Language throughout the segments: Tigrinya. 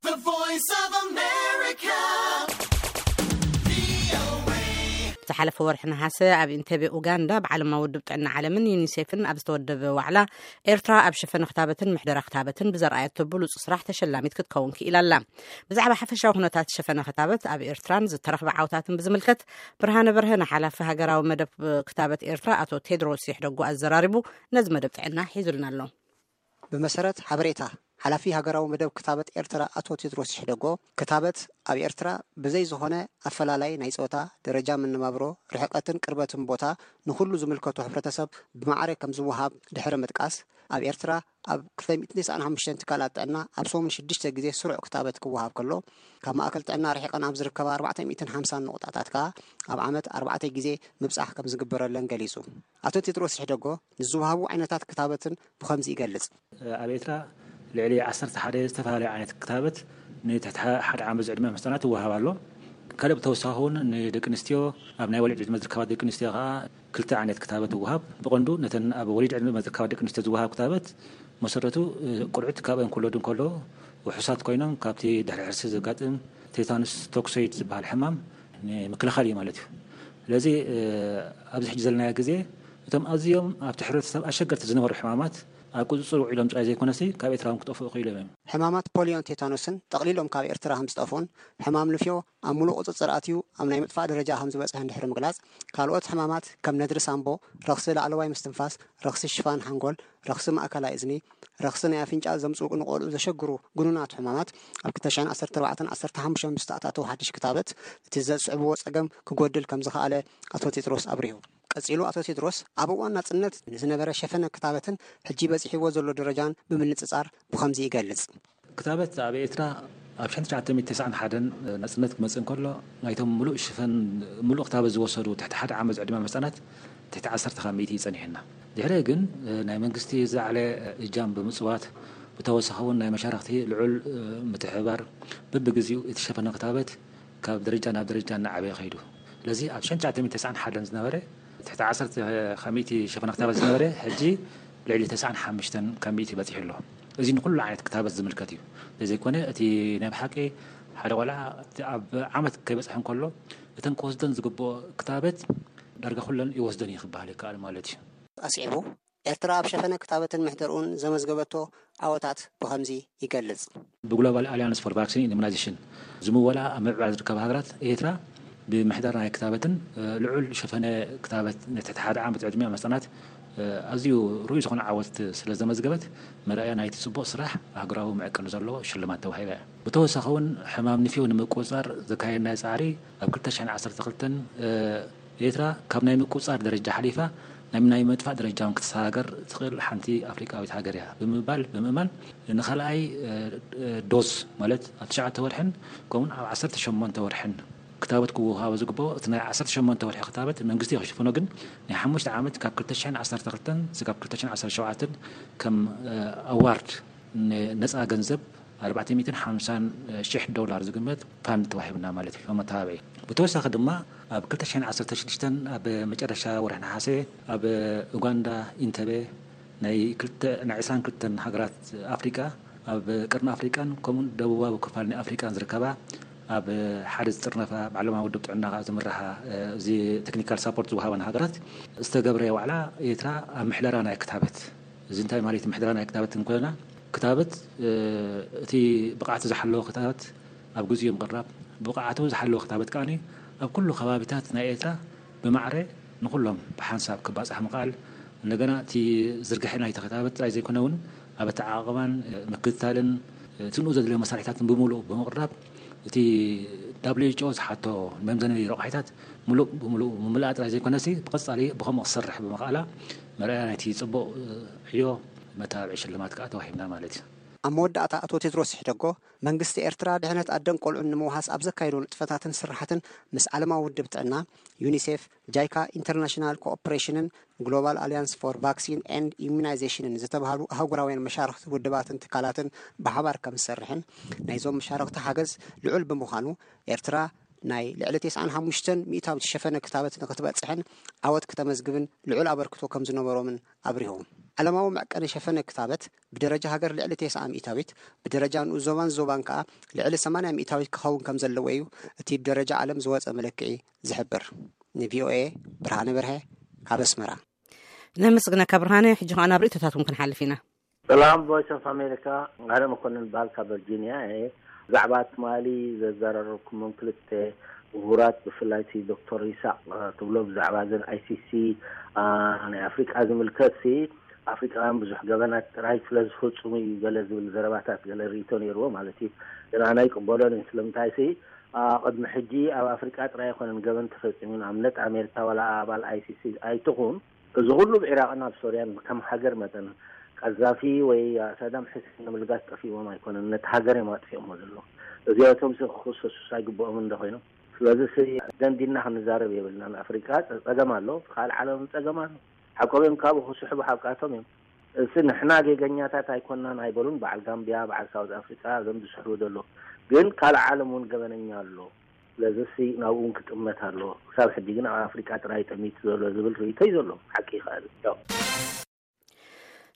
The Voice of America. ዝሓለፈ ወርሒ ነሃሰ ኣብ ኢንቴቤ ኡጋንዳ ብዓለማዊ ውድብ ጥዕና ዓለምን ዩኒሴፍን ኣብ ዝተወደበ ዋዕላ፣ ኤርትራ ኣብ ሸፈነ ክታበትን ምሕደራ ክታበትን ብዘርኣየቶ ብሉጽ ስራሕ ተሸላሚት ክትከውን ክኢላ ኣላ። ብዛዕባ ሓፈሻዊ ኩነታት ሸፈነ ክታበት ኣብ ኤርትራን ዝተረኽበ ዓውታትን ብዝምልከት፣ ብርሃነ በርሀ ንሓላፊ ሃገራዊ መደብ ክታበት ኤርትራ ኣቶ ቴድሮስ ይሕደጉ ኣዘራሪቡ፣ ነዚ መደብ ጥዕና ሒዙልና ኣሎ። ብመሰረት ሓበሬታ ሓላፊ ሃገራዊ መደብ ክታበት ኤርትራ ኣቶ ቴድሮስ ይሕደጎ፣ ክታበት ኣብ ኤርትራ ብዘይ ዝኾነ ኣፈላላይ ናይ ጾታ፣ ደረጃ መነባብሮ፣ ርሕቀትን ቅርበትን ቦታ ንኹሉ ዝምልከቶ ሕብረተሰብ ብማዕረ ከም ዝወሃብ ድሕሪ ምጥቃስ፣ ኣብ ኤርትራ ኣብ ክልተ ሚእትን ተስዓን ሓሙሽተን ትካላት ጥዕና ኣብ ሰሙን ሽዱሽተ ግዜ ስሩዕ ክታበት ክወሃብ ከሎ፣ ካብ ማእከል ጥዕና ርሒቐን ኣብ ዝርከባ ኣርባዕተ ሚእትን ሓምሳን ንቑጣታት ከኣ ኣብ ዓመት ኣርባዕተ ግዜ ምብጻሕ ከም ዝግበረለን ገሊጹ። ኣቶ ቴድሮስ ይሕደጎ ንዝወሃቡ ዓይነታት ክታበትን ብኸምዚ ይገልጽ። ኣብ ኤርትራ ልዕሊ ዓሰርተ ሓደ ዝተፈላለዩ ዓይነት ክታበት ንትሕቲ ሓደ ዓመት ዝዕድመ ህጻናት ይወሃብ ኣሎ። ካልእ ብተወሳኺ እውን ንደቂ ኣንስትዮ፣ ኣብ ናይ ወሊድ ዕድመ ዝርከባ ደቂ ኣንስትዮ ከኣ ክልተ ዓይነት ክታበት ይወሃብ። ብቐንዱ ነተን ኣብ ወሊድ ዕድመ ዝርከባ ደቂ ኣንስትዮ ዝወሃብ ክታበት መሰረቱ፣ እ፣ ቆልዑት ካብ እንክወለዱ እንከሎ ውሑሳት ኮይኖም ካብቲ ድሕሪ ሕርሲ ዘጋጥም ቴታኑስ ቶክሶይድ ዝበሃል ሕማም ንምክልኻል እዩ ማለት እዩ። ስለዚ፣ እ፣ ኣብዚ ሕጂ ዘለናዮ ግዜ እቶም ኣዝዮም ኣብቲ ሕብረተሰብ ኣሸገርቲ ዝነበሩ ሕማማት ኣብ ቁጽጽር ውዒሎም ጥራይ ዘይኮነሲ ካብ ኤርትራ እውን ክጠፍኡ ክኢሎም እዮም። ሕማማት ፖሊዮን ቴታኖስን ጠቕሊሎም ካብ ኤርትራ ከም ዝጠፍኡን ሕማም ንፍዮ ኣብ ሙሉእ ቁጽጽር ኣትዩ ኣብ ናይ ምጥፋእ ደረጃ ከም ዝበጽሐ እንድሕሪ ምግላጽ፣ ካልኦት ሕማማት ከም ነድሪ ሳምቦ፣ ረኽሲ ላዕለዋይ ምስትንፋስ፣ ረኽሲ ሽፋን ሓንጎል፣ ረኽሲ ማእከላይ እዝኒ፣ ረኽሲ ናይ ኣፍንጫ ዘምጽኡ ንቆልዑ ዘሸግሩ ግኑናት ሕማማት ኣብ ክልተ ሽሕን ዓሰርተ ኣርባዕተን ዓሰርተ ሓሙሽተን ብዝተኣታተው ሓድሽ ክታበት እቲ ዘስዕብዎ ጸገም ክጎድል ከም ዝኸኣለ ኣቶ ቴድሮስ ኣብሪሁ። ቀጺሉ ኣቶ ቴድሮስ ኣብ እዋን ናጽነት ንዝነበረ ሸፈነ ክታበትን ሕጂ በጺሕዎ ዘሎ ደረጃን ብምንጽጻር ብኸምዚ ይገልጽ። ክታበት ኣብ ኤርትራ ኣብ ሽሕን ትሽዓተ ሚእትን ተስዓን ሓደን ናጽነት ክመጽእ እንከሎ ናይቶም ምሉእ ሽፈን ምሉእ ክታበት ዝወሰዱ ትሕቲ ሓደ ዓመት ዝዕድመ ህጻናት ትሕቲ ዓሰርተ ካብ ሚእቲ እዩ ጸኒሕና። ድሕሪ ግን ናይ መንግስቲ ዝለዓለ እጃም ብምጽዋት ብተወሳኺ እውን ናይ መሻርኽቲ ልዑል ምትሕብባር በብግዜኡ እቲ ሸፈነ ክታበት ካብ ደረጃ ናብ ደረጃ እናዓበየ ከይዱ። ስለዚ ኣብ ሽሕን ትሽዓተ ሚእትን ተስዓን ሓደን ዝነበረ ትሕቲ ዓሰርተ ካብ ሚእቲ ሸፈነ ክታበት ዝነበረ ሕጂ ልዕሊ ተስዓን ሓሙሽተን ካብ ሚእቲ በጺሑ ኣሎ። እዚ ንኩሉ ዓይነት ክታበት ዝምልከት እዩ። ዘይኮነ እቲ ናይ ብሓቂ ሓደ ቆልዓ እቲ ኣብ ዓመት ከይበጽሐ እንከሎ እተን ክወስደን ዝግብኦ ክታበት ዳርጋ ኩለን ይወስደን እዩ ክበሃል ይከኣል ማለት እዩ። ኣስዒቡ፣ ኤርትራ ኣብ ሸፈነ ክታበትን ምሕደርኡን ዘመዝገበቶ ዓወታት ብኸምዚ ይገልጽ። ብግሎባል ኣልያንስ ፎር ቫክሲን ኢሙናይዜሽን ዝምወላ ኣብ ምዕባል ዝርከባ ሃገራት ኤርትራ ብምሕዳር ናይ ክታበትን ልዑል ሸፈነ ክታበት ንትሕቲ ሓደ ዓመት ዕድሚኦም ህጻናት ኣዝዩ ርኡይ ዝኾነ ዓወት ስለ ዘመዝገበት መርኣያ ናይቲ ጽቡቕ ስራሕ ኣህጉራዊ መዕቀኒ ዘለዎ ሽልማት ተዋሂባ እያ። ብተወሳኺ እውን ሕማም ንፍዮ ንምቁጽጻር ዘካየድናዮ ጻዕሪ ኣብ ክልተ ሽሕን ዓሰርተ ክልተን ኤርትራ ካብ ናይ ምቁጽጻር ደረጃ ሓሊፋ ናብ ናይ ምጥፋእ ደረጃ እውን ክትሰጋገር ትኽእል ሓንቲ ኣፍሪቃዊት ሃገር እያ ብምባል ብምእማን ንኻልኣይ ዶዝ ማለት ኣብ ትሽዓተ ወርሕን ከምኡውን ኣብ ዓሰርተ ሸሞንተ ወርሕን ክታበት ክወሃቦ ዝግብኦ እቲ ናይ ዓሰርተ ሸሞንተ ወርሒ ክታበት መንግስቲ ክሽፍኖ ግን ናይ ሓሙሽተ ዓመት ካብ ክልተ ሽሕን ዓሰርተ ክልተን ስጋብ ክልተ ሽሕን ዓሰርተ ሸውዓተን ከም ኣዋርድ ነፃ ገንዘብ ኣርባዕተ ሚእትን ሓምሳን ሽሕ ዶላር ዝግመት ፋንድ ተዋሂብና ማለት እዩ መተባብዒ። ብተወሳኺ ድማ ኣብ ክልተ ሽሕን ዓሰርተ ሽዱሽተን ኣብ መጨረሻ ወርሒ ነሓሰ ኣብ ኡጋንዳ ኢንተበ ናይ ክልተ ናይ ዕስራን ክልተን ሃገራት ኣፍሪቃ ኣብ ቀርኒ ኣፍሪቃን ከምኡን ደቡባዊ ክፋል ናይ ኣፍሪቃን ዝርከባ ኣብ ሓደ ዝጥርነፋ ብዓለማዊ ውድብ ጥዕና ዝምራሓ እዚ ቴክኒካል ሳፖርት ዝወሃበን ሃገራት ዝተገብረ ዋዕላ ኤርትራ ኣብ ምሕደራ ናይ ክታበት እዚ እንታይ ማለት ምሕደራ ናይ ክታበት እንኮና ክታበት እቲ ብቕዓት ዝሓለወ ክታበት ኣብ ግዜኡ ምቕራብ ብቕዓቱ ዝሓለወ ክታበት ከኣ ኣብ ኩሉ ከባቢታት ናይ ኤርትራ ብማዕረ ንኩሎም ብሓንሳብ ክባጻሕ ምኽኣል እንደገና እቲ ዝርግሐ ናይቲ ክታበት ጥራይ ዘይኮነ እውን ኣብ ኣተዓቓቕባን ምክትታልን እቲ ንኡ ዘድልዮ መሳርሒታትን ብምሉእ ብምቕራብ እቲ WHO ዝሓቶ መምዘኒ ረቑሒታት ምሉእ ብምሉእ ምምላኣ ጥራይ ዘይኮነሲ ብቐጻሊ ብኸምኡ ክሰርሕ ብምኽኣላ መርኣያ ናይቲ ጽቡቕ ዕዮ መተባብዒ ሽልማት ከኣ ተዋሂብና ማለት እዩ። ኣብ መወዳእታ ኣቶ ቴድሮስ ይሕደጎ መንግስቲ ኤርትራ ድሕነት ኣደን ቆልዑን ንምውሃስ ኣብ ዘካየዶ ንጥፈታትን ስራሓትን ምስ ዓለማዊ ውድብ ጥዕና፣ ዩኒሴፍ፣ ጃይካ፣ ኢንተርናሽናል ኮኦፕሬሽንን ግሎባል ኣልያንስ ፎር ቫክሲን ኤንድ ኢሙናይዜሽንን ዝተባህሉ ኣህጉራውያን መሻርኽቲ ውድባትን ትካላትን ብሓባር ከም ዝሰርሕን ናይዞም መሻርኽቲ ሓገዝ ልዑል ብምዃኑ ኤርትራ ናይ ልዕሊ ተስዓን ሓሙሽተን ሚእታዊት ዝሸፈነ ክታበት ንክትበጽሕን ዓወት ክተመዝግብን ልዑል ኣበርክቶ ከም ዝነበሮምን ኣብሪሆም። ዓለማዊ መዕቀኒ ሸፈነ ክታበት ብደረጃ ሃገር ልዕሊ ተስዓ ሚእታዊት፣ ብደረጃ ንኡስ ዞባን ዞባን ከኣ ልዕሊ ሰማንያ ሚእታዊት ክኸውን ከም ዘለዎ እዩ እቲ ብደረጃ ዓለም ዝወጸ መለክዒ ዝሕብር። ንቪኦኤ ብርሃነ በርሀ ካብ ኣስመራ። ነመስግነካ ብርሃነ። ሕጂ ከኣ ናብ ርእይቶታትኩም ክንሓልፍ ኢና። ሰላም ቮይስ ኦፍ ኣሜሪካ፣ ኣነ መኮንን በሃል ካብ ቨርጂኒያ እየ። ብዛዕባ ትማሊ ዘዘራረብኩሞም ክልተ ምሁራት፣ ብፍላይ እቲ ዶክተር ይስሐቅ ትብሎ ብዛዕባ ዘን ኣይሲሲ ናይ ኣፍሪቃ ዝምልከት ሲ፣ ኣፍሪቃውያን ብዙሕ ገበናት ጥራይ ስለ ዝፍጽሙ እዩ ገለ ዝብል ዘረባታት፣ ገለ ርእይቶ ነይርዎ ማለት እዩ። ግን ኣነ ኣይቅበሎን እየ። ስለምንታይ ሲ፣ ቅድሚ ሕጂ ኣብ ኣፍሪቃ ጥራይ ኣይኮነን ገበን ተፈጺሙ። ንኣብነት ኣሜሪካ ዋላ ኣባል ኣይሲሲ ኣይትኹን፣ እዚ ኩሉ ኣብ ዒራቕን ኣብ ሶርያን ከም ሃገር መጠን ቀዛፊ ወይ ሳዳም ሕሴን ንምልጋስ ጠፊእዎም ኣይኮነን፣ ነቲ ሃገር እዮም ኣጥፊኦሞ ዘለዉ። እዚኣቶም ሲ ክኽሰሱስ ኣይግብኦምን እንዶ ኮይኖም? ስለዚ ሲ ደንዲና ክንዛረብ የብልናን። ኣፍሪቃ ጸ-፣ ጸገም ኣሎ፣ ካልእ ዓለም ጸገም ኣሎ። ሓቆም እዮም፣ ካብኡ ክስሕቡ ሓቃቶም እዮም። እዚ ንሕና ጌገኛታት ኣይኮናን ኣይበሉን፣ በዓል ጋምቢያ፣ በዓል ሳውዝ ኣፍሪቃ፣ እዞም ዝስሕቡ ዘለዉ። ግን ካልእ ዓለም እውን ገበነኛ ኣሎ። ስለዚ ሲ ናብኡ እውን ክጥመት ኣለዎ። ክሳብ ሕጂ ግን ኣብ ኣፍሪቃ ጥራይ ጠሚቱ ዘሎ ዝብል ርእይቶ እዩ ዘሎ። ሓቂ ይኽእል። ያው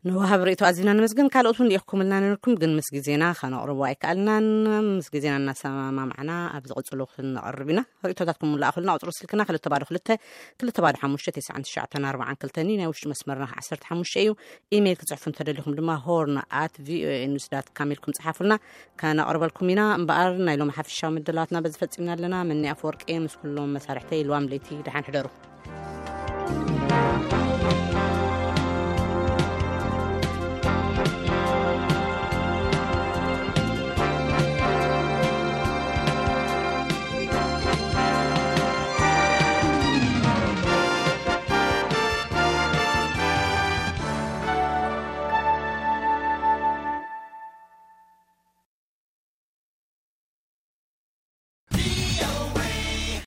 ንወሃብ ርእይቶ ኣዚና ነመስግን። ካልኦት እውን ልኢኽኩምልና ነርኩም፣ ግን ምስ ግዜና ከነቕርቦ ኣይከኣልናን። ምስ ግዜና እናሰማማዕና ኣብ ዝቕጽሉ ክንቐርብ ኢና። ርእይቶታትኩም ለኣኹልና። ቁጽሪ ስልክና ክልተ ባዶ ክልተ፣ ክልተ ባዶ ሓሙሽተ፣ ተስዓን ትሽዓተን ኣርባዓን ክልተን እዩ። ናይ ውሽጢ መስመርና ዓሰርተ ሓሙሽተ እዩ። ኢሜይል ክጽሕፉ እንተደሊኹም ድማ ሆርን ኣት ቪኦኤ ኒውስ ዳት ካም ኢልኩም ጽሓፉልና፣ ከነቕርበልኩም ኢና። እምበኣር ናይ ሎሚ ሓፈሻዊ ምድላዋትና በዚ ፈጺምና ኣለና። መኒ ኣፈወርቂ ምስ ኩሎም መሳርሕተይ ልዋም ለይቲ ደሓን ሕደሩ።